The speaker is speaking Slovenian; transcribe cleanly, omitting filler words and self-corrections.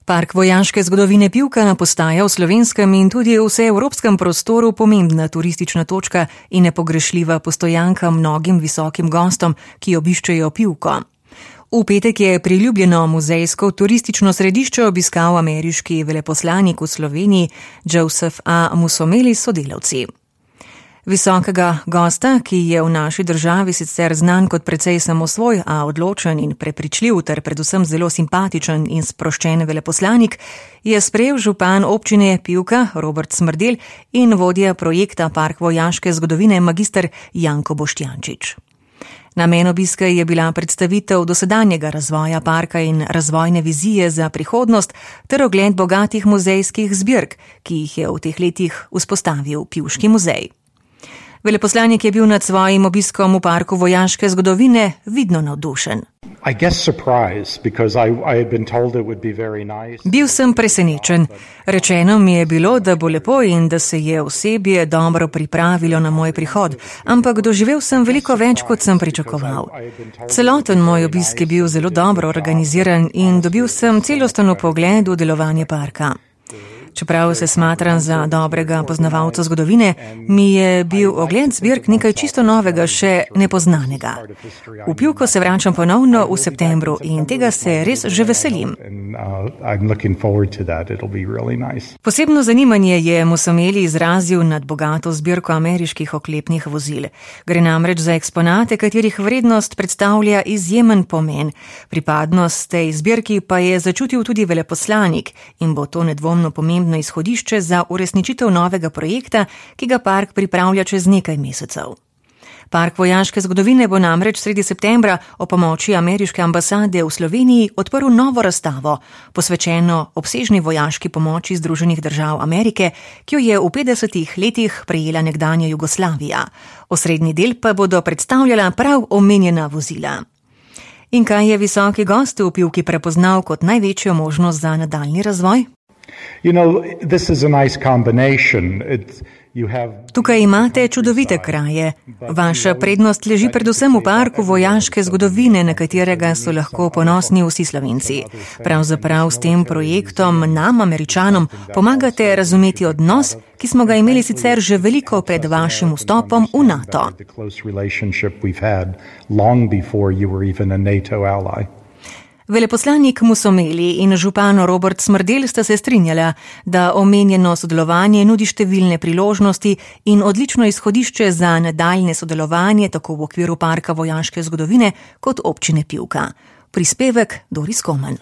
Park vojaške zgodovine Pivka postaja v slovenskem in tudi vseevropskem prostoru pomembna turistična točka in nepogrešljiva postojanka mnogim visokim gostom, ki obiščejo Pivko. V petek je priljubljeno muzejsko turistično središče obiskal ameriški veleposlanik v Sloveniji Joseph A. Musomeli s sodelavci. Visokega gosta, ki je v naši državi sicer znan kot precej samosvoj, a odločen in prepričljiv ter predvsem zelo simpatičen in sproščen veleposlanik, je sprejel župan občine Pivka Robert Smrdelj in vodja projekta Park vojaške zgodovine magister Janko Boštjančič. Namen obiska je bila predstavitev dosedanjega razvoja parka in razvojne vizije za prihodnost ter ogled bogatih muzejskih zbirk, ki jih je v teh letih vzpostavil Pivški muzej. Veleposlanik je bil nad svojim obiskom v parku vojaške zgodovine vidno navdušen. Bil sem presenečen. Rečeno mi je bilo, da bo lepo in da se je osebje dobro pripravilo na moj prihod, ampak doživel sem veliko več, kot sem pričakoval. Celoten moj obisk je bil zelo dobro organiziran in dobil sem celosten vpogled v delovanje parka. Čeprav se smatram za dobrega poznavalca zgodovine, mi je bil ogled zbirk nekaj čisto novega, še nepoznanega. V Pivko se vračam ponovno v septembru in tega se res že veselim. Posebno zanimanje je Musomeli izrazil nad bogato zbirko ameriških oklepnih vozil. Gre namreč za eksponate, katerih vrednost predstavlja izjemen pomen. Pripadnost tej zbirki pa je začutil tudi veleposlanik in bo to nedvomno pomembno izhodišče za uresničitev novega projekta, ki ga park pripravlja čez nekaj mesecev. Park vojaške zgodovine bo namreč sredi septembra ob pomoči ameriške ambasade v Sloveniji odprl novo razstavo, posvečeno obsežni vojaški pomoči Združenih držav Amerike, ki jo je v 50 letih prejela nekdanja Jugoslavija. Osrednji del pa bodo predstavljala prav omenjena vozila. In kaj je visoki gost v Pivki prepoznal kot največjo možnost za nadaljnji razvoj? Tukaj imate čudovite kraje. Vaša prednost leži predvsem v parku vojaške zgodovine, na katerega so lahko ponosni vsi Slovenci. Pravzaprav s tem projektom nam, Američanom, pomagate razumeti odnos, ki smo ga imeli sicer že veliko pred vašim vstopom v NATO. Veleposlanik Musomeli in župan Robert Smrdelj sta se strinjala, da omenjeno sodelovanje nudi številne priložnosti in odlično izhodišče za nadaljne sodelovanje tako v okviru parka vojaške zgodovine kot občine Pivka. Prispevek Doris Komen.